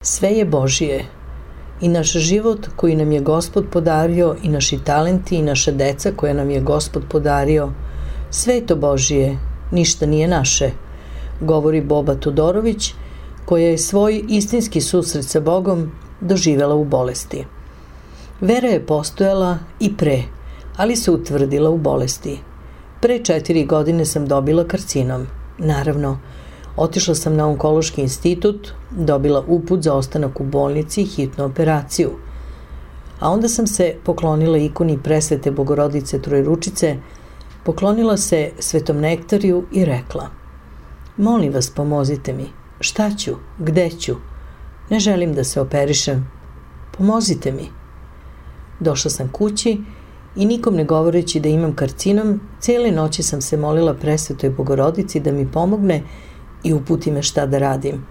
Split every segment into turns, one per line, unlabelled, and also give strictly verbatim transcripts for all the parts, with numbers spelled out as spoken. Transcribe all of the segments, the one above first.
Sve je Božije. I naš život koji nam je Gospod podario, i naši talenti, i naša deca koja nam je Gospod podario, sve je to Božije, ništa nije naše, govori Boba Todorović, koja je svoj istinski susret sa Bogom doživela u bolesti. Vera je postojala i pre, ali se utvrdila u bolesti. Pre četiri godine sam dobila karcinom. Naravno, otišla sam na onkološki institut, dobila uput za ostanak u bolnici i hitnu operaciju. A onda sam se poklonila ikoni Presvete Bogorodice Trojručice, poklonila se Svetom Nektariju i rekla: molim vas, pomozite mi. Šta ću? Gde ću? Ne želim da se operišem. Pomozite mi. Došla sam kući i nikom ne govoreći da imam karcinom, cijele noći sam se molila Presvetoj Bogorodici da mi pomogne i uputi me šta da radim.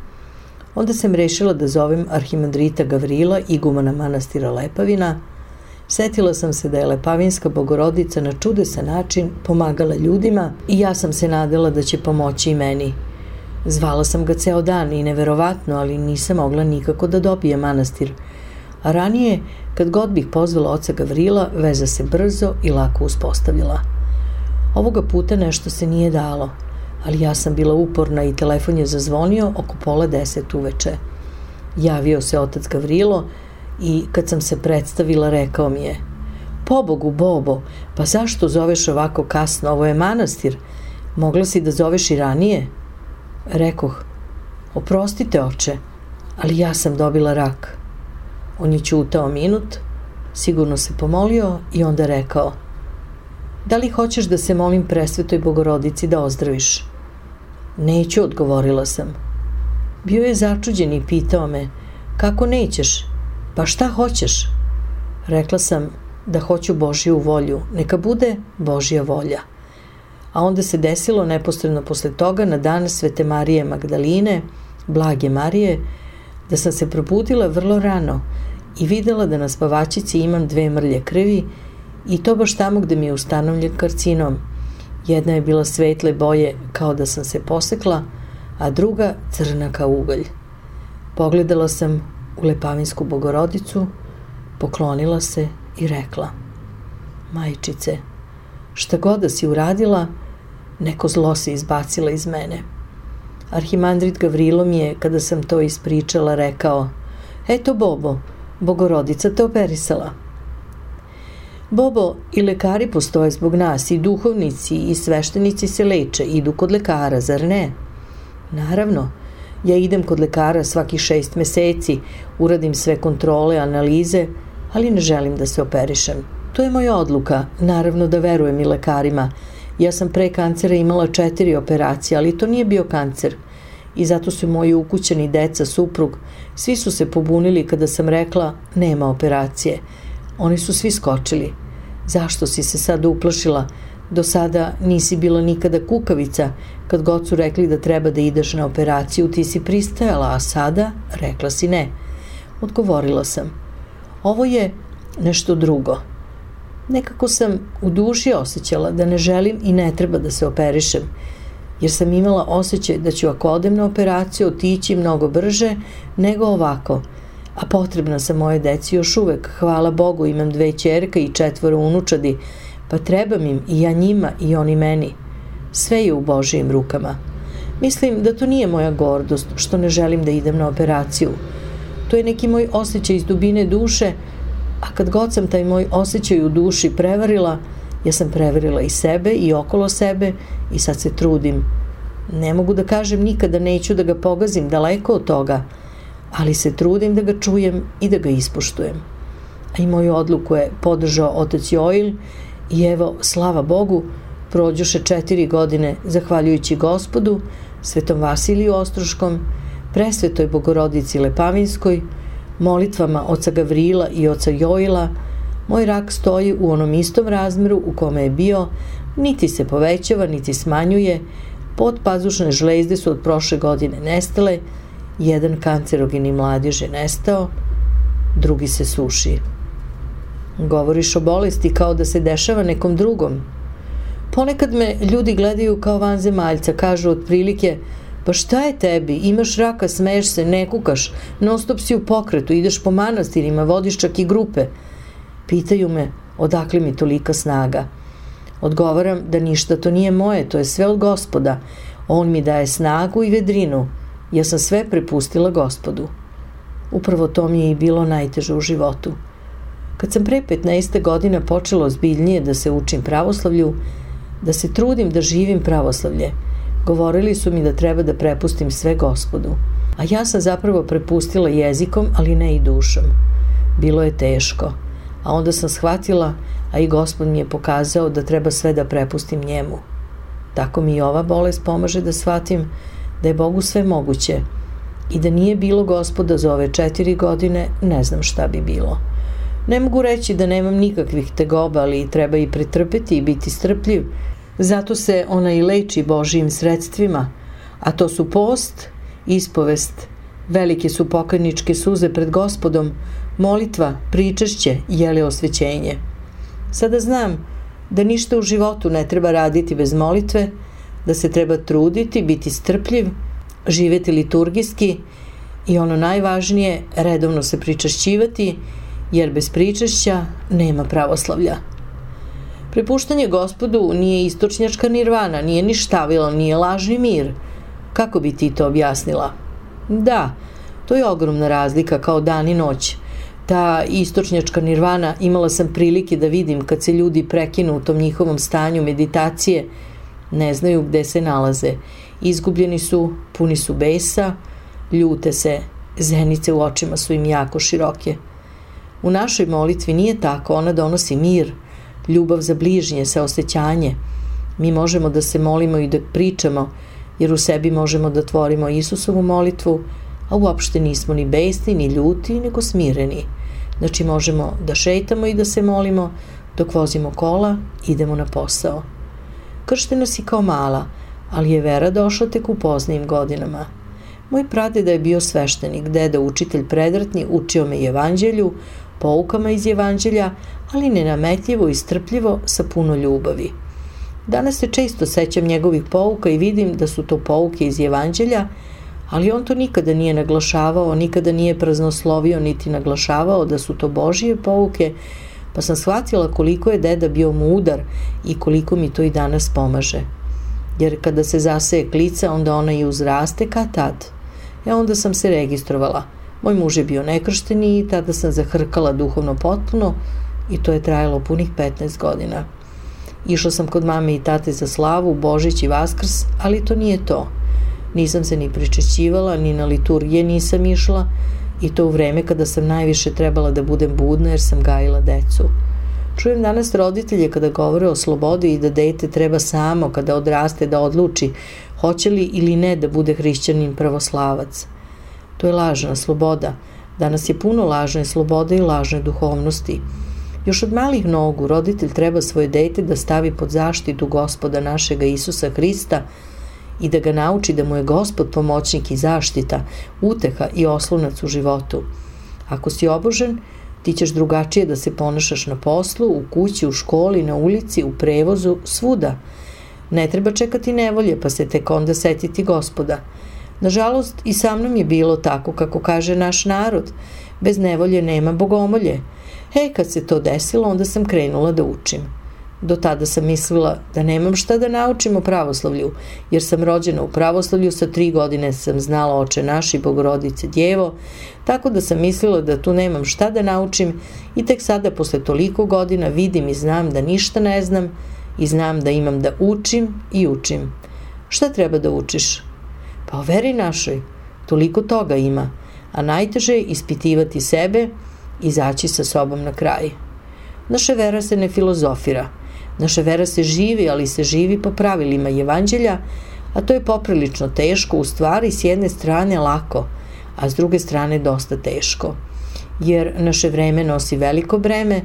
Onda sam rešila da zovem arhimandrita Gavrila, igumana manastira Lepavina. Setila sam se da je Lepavinska Bogorodica na čudesan način pomagala ljudima i ja sam se nadala da će pomoći i meni. Zvala sam ga ceo dan i neverovatno, ali nisam mogla nikako da dobijem manastir. A ranije, kad god bih pozvala oca Gavrila, veza se brzo i lako uspostavila. Ovoga puta nešto se nije dalo, ali ja sam bila uporna i telefon je zazvonio oko pola deset uveče. Javio se otac Gavrilo i kad sam se predstavila rekao mi je: pobogu, Bobo, pa zašto zoveš ovako kasno, ovo je manastir, mogla si da zoveš i ranije? Rekoh: oprostite oče, ali ja sam dobila rak. On je ćutao minut, sigurno se pomolio i onda rekao: da li hoćeš da se molim Presvetoj Bogorodici da ozdraviš? Neću, odgovorila sam. Bio je začuđen i pitao me: kako nećeš? Pa šta hoćeš? Rekla sam da hoću Božju volju, neka bude Božja volja. A onda se desilo neposredno posle toga, na dan Svete Marije Magdaline, Blage Marije, da sam se probudila vrlo rano i videla da na spavačici imam dve mrlje krvi, i to baš tamo gde mi je ustanovljen karcinom. Jedna je bila svetle boje kao da sam se posekla, a druga crna kao ugalj. Pogledala sam u Lepavinsku Bogorodicu, poklonila se i rekla: majčice, šta god da si uradila, neko zlo se izbacila iz mene. Arhimandrit Gavrilo mi je, kada sam to ispričala, rekao: eto, Bobo, Bogorodica te operisala. Bobo, i lekari postoje zbog nas, i duhovnici i sveštenici se leče, idu kod lekara, zar ne? Naravno, ja idem kod lekara svaki šest meseci, uradim sve kontrole, analize, ali ne želim da se operišem. To je moja odluka, naravno da verujem i lekarima. Ja sam pre kancera imala četiri operacije, ali to nije bio kancer. I zato su moji ukućani, deca, suprug, svi su se pobunili kada sam rekla nema operacije. Oni su svi skočili. Zašto si se sad uplašila? Do sada nisi bila nikada kukavica. Kad god su rekli da treba da ideš na operaciju, ti si pristajala, a sada rekla si ne. Odgovorila sam: ovo je nešto drugo. Nekako sam u duši osjećala da ne želim i ne treba da se operišem, jer sam imala osjećaj da ću, ako odem na operaciju, otići mnogo brže nego ovako. A potrebna sam moje deci još uvek, hvala Bogu, imam dve ćerke i četvoro unučadi, pa trebam im i ja njima i oni meni. Sve je u Božijim rukama. Mislim da to nije moja gordost što ne želim da idem na operaciju. To je neki moj osjećaj iz dubine duše, a kad god sam taj moj osjećaj u duši prevarila, ja sam prevarila i sebe i okolo sebe i sad se trudim. Ne mogu da kažem nikada neću da ga pogazim, daleko od toga, ali se trudim da ga čujem i da ga ispoštujem. A i moju odluku je podržao otac Joil i evo, slava Bogu, prođoše četiri godine zahvaljujući Gospodu, Svetom Vasiliju Ostroškom, Presvetoj Bogorodici Lepavinskoj, molitvama oca Gavrila i oca Joila, moj rak stoji u onom istom razmeru u kome je bio, niti se povećava, niti smanjuje, podpazušne žlezde su od prošle godine nestale, jedan kancerogeni mladež je nestao, drugi se suši. Govoriš o bolesti kao da se dešava nekom drugom. Ponekad me ljudi gledaju kao vanzemaljca, kažu otprilike: Pa šta je tebi? Imaš raka, smeješ se, ne kukaš, non stop si u pokretu, ideš po manastirima, vodiš čak i grupe. Pitaju me odakle mi tolika snaga. Odgovaram da ništa to nije moje, to je sve od Gospoda. On mi daje snagu i vedrinu. Ja sam sve prepustila Gospodu. Upravo to mi je i bilo najteže u životu. Kad sam pre petnaest godina počela ozbiljnije da se učim pravoslavlju, da se trudim da živim pravoslavlje, govorili su mi da treba da prepustim sve Gospodu. A ja sam zapravo prepustila jezikom, ali ne i dušom. Bilo je teško. A onda sam shvatila, a i Gospod mi je pokazao da treba sve da prepustim njemu. Tako mi i ova bolest pomaže da shvatim da je Bogu sve moguće i da nije bilo Gospoda za ove četiri godine, ne znam šta bi bilo. Ne mogu reći da nemam nikakvih tegoba, ali treba i pretrpeti i biti strpljiv. Zato se ona i leči Božijim sredstvima, a to su post, ispovest, velike su pokajničke suze pred Gospodom, molitva, pričešće, jele osvećenje. Sada znam da ništa u životu ne treba raditi bez molitve, da se treba truditi, biti strpljiv, živjeti liturgijski i ono najvažnije, redovno se pričašćivati, jer bez pričašća nema pravoslavlja. Prepuštanje Gospodu nije istočnjačka nirvana, nije ni štavila, nije lažni mir. Kako bi ti to objasnila? Da, to je ogromna razlika kao dan i noć. Ta istočnjačka nirvana imala sam prilike da vidim kad se ljudi prekinu u tom njihovom stanju meditacije, ne znaju gde se nalaze. Izgubljeni su, puni su besa, ljute se, zenice u očima su im jako široke. U našoj molitvi nije tako, ona donosi mir, ljubav za bližnje, saosećanje. Mi možemo da se molimo i da pričamo, jer u sebi možemo da tvorimo Isusovu molitvu, a uopšte nismo ni besni, ni ljuti, nego smireni. Znači možemo da šetamo i da se molimo, dok vozimo kola, idemo na posao. Krštena si kao mala, ali je vera došla tek u poznijim godinama. Moj pradeda je bio sveštenik, deda učitelj predratni, učio me evanđelju, poukama iz evanđelja, ali nenametljivo i strpljivo sa puno ljubavi. Danas se često sećam njegovih pouka i vidim da su to pouke iz evanđelja, ali on to nikada nije naglašavao, nikada nije praznoslovio niti naglašavao da su to Božije pouke, pa sam shvatila koliko je deda bio mudar i koliko mi to i danas pomaže. Jer kada se zaseje klica, onda ona i uzraste kad tad. E onda sam se registrovala. Moj muž je bio nekršteni i tada sam zahrkala duhovno potpuno i to je trajalo punih petnaest godina. Išla sam kod mame i tate za slavu, Božić i Vaskrs, ali to nije to. Nisam se ni pričešćivala, ni na liturgije nisam išla i to u vreme kada sam najviše trebala da budem budna jer sam gajila decu. Čujem danas roditelje kada govore o slobodi i da dete treba samo kada odraste da odluči hoće li ili ne da bude hrišćanin pravoslavac. To je lažna sloboda. Danas je puno lažne slobode i lažne duhovnosti. Još od malih nogu roditelj treba svoje dete da stavi pod zaštitu Gospoda našega Isusa Hrista i da ga nauči da mu je Gospod pomoćnik i zaštita, uteha i oslonac u životu. Ako si obožen, ti ćeš drugačije da se ponašaš na poslu, u kući, u školi, na ulici, u prevozu, svuda. Ne treba čekati nevolje, pa se tek onda setiti Gospoda. Nažalost, i sa mnom je bilo tako, kako kaže naš narod. Bez nevolje nema bogomolje. E, kad se to desilo, onda sam krenula da učim. Do tada sam mislila da nemam šta da naučim o pravoslavlju, jer sam rođena u pravoslavlju, sa tri godine sam znala Oče naš i Bogorodice Djevo, tako da sam mislila da tu nemam šta da naučim i tek sada posle toliko godina vidim i znam da ništa ne znam i znam da imam da učim i učim. Šta treba da učiš? Pa o veri našoj, toliko toga ima, a najteže je ispitivati sebe i izaći sa sobom na kraj. Naša vera se ne filozofira. Naša vera se živi, ali se živi po pravilima evanđelja, a to je poprilično teško, u stvari s jedne strane lako, a s druge strane dosta teško. Jer naše vreme nosi veliko breme,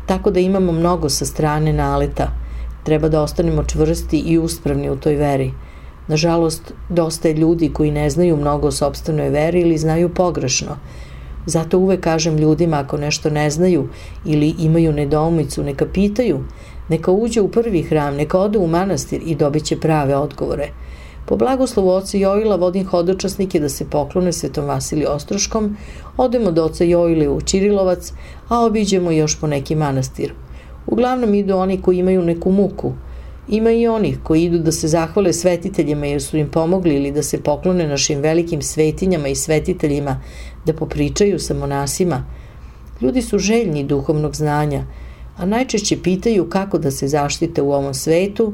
tako da imamo mnogo sa strane naleta. Treba da ostanemo čvrsti i uspravni u toj veri. Nažalost, dosta je ljudi koji ne znaju mnogo o sopstvenoj veri ili znaju pogrešno. Zato uvek kažem ljudima ako nešto ne znaju ili imaju nedoumicu, neka pitaju, neka uđe u prvi hram, neka ode u manastir i dobit će prave odgovore. Po blagoslovu oca Joila vodim hodočasnike da se poklone Svetom Vasiliju Ostroškom, odemo do oca Joile u Čirilovac, a obiđemo još po neki manastir. Uglavnom idu oni koji imaju neku muku. Ima i onih koji idu da se zahvale svetiteljima jer su im pomogli ili da se poklone našim velikim svetinjama i svetiteljima, da popričaju sa monasima. Ljudi su željni duhovnog znanja, a najčešće pitaju kako da se zaštite u ovom svetu,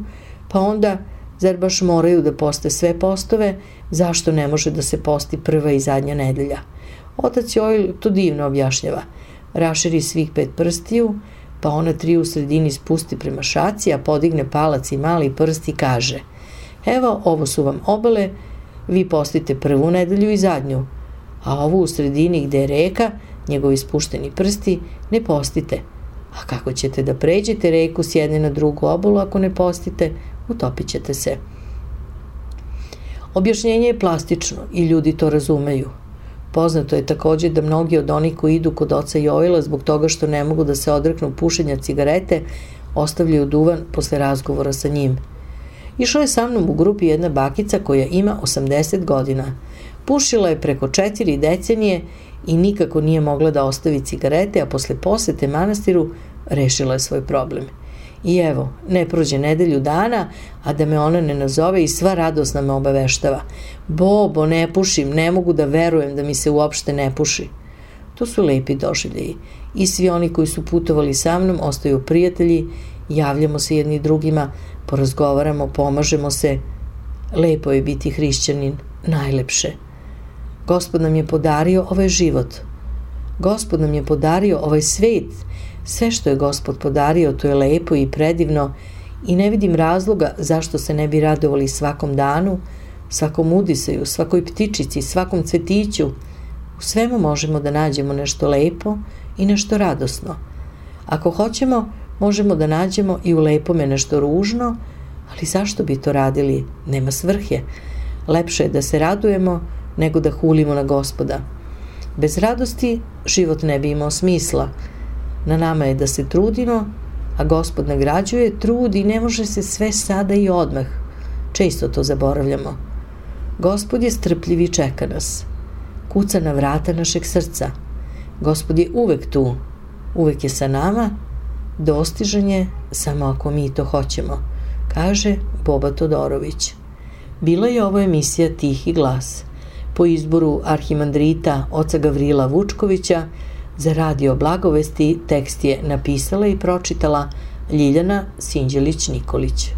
pa onda, zar baš moraju da poste sve postove, zašto ne može da se posti prva i zadnja nedelja? Otac Joil to divno objašnjava. Raširi svih pet prstiju, pa ona tri u sredini spusti prema šaci, a podigne palac i mali prst i kaže: evo, ovo su vam obale, vi postite prvu nedelju i zadnju, a ovu u sredini gde je reka, njegovi spušteni prsti, ne postite. A kako ćete da pređete reku s jedne na drugu obalu ako ne postite? Utopit ćete se. Objašnjenje je plastično i ljudi to razumeju. Poznato je takođe da mnogi od onih koji idu kod oca Joila zbog toga što ne mogu da se odreknu pušenja cigarete, ostavljaju duvan posle razgovora sa njim. Išla je sa mnom u grupi jedna bakica koja ima osamdeset godina. Pušila je preko četiri decenije i nikako nije mogla da ostavi cigarete, a posle posete manastiru rešila je svoj problem. I evo, ne prođe nedelju dana, a da me ona ne nazove i sva radosna me obaveštava. Bobo, ne pušim, ne mogu da verujem da mi se uopšte ne puši. To su lepi doživljeji. I svi oni koji su putovali sa mnom ostaju prijatelji, javljamo se jedni drugima, porazgovaramo, pomažemo se. Lepo je biti hrišćanin, najlepše. Gospod nam je podario ovaj život. Gospod nam je podario ovaj svet. Sve što je Gospod podario, to je lepo i predivno i ne vidim razloga zašto se ne bi radovali svakom danu, svakom udisaju, svakoj ptičici, svakom cvetiću. U svemu možemo da nađemo nešto lepo i nešto radosno. Ako hoćemo, možemo da nađemo i u lepome nešto ružno, ali zašto bi to radili? Nema svrhe. Lepše je da se radujemo nego da hulimo na Gospoda. Bez radosti život ne bi imao smisla. Na nama je da se trudimo, a Gospod nagrađuje trud i ne može se sve sada i odmah. Često to zaboravljamo. Gospod je strpljiv i čeka nas. Kuca na vrata našeg srca. Gospod je uvek tu, uvek je sa nama, dostižan je samo ako mi to hoćemo, kaže Boba Todorović. Bila je ovo emisija Tihi glas. Po izboru arhimandrita oca Gavrila Vučkovića, za radio Blagovesti tekst je napisala i pročitala Ljiljana Sinđelić-Nikolić.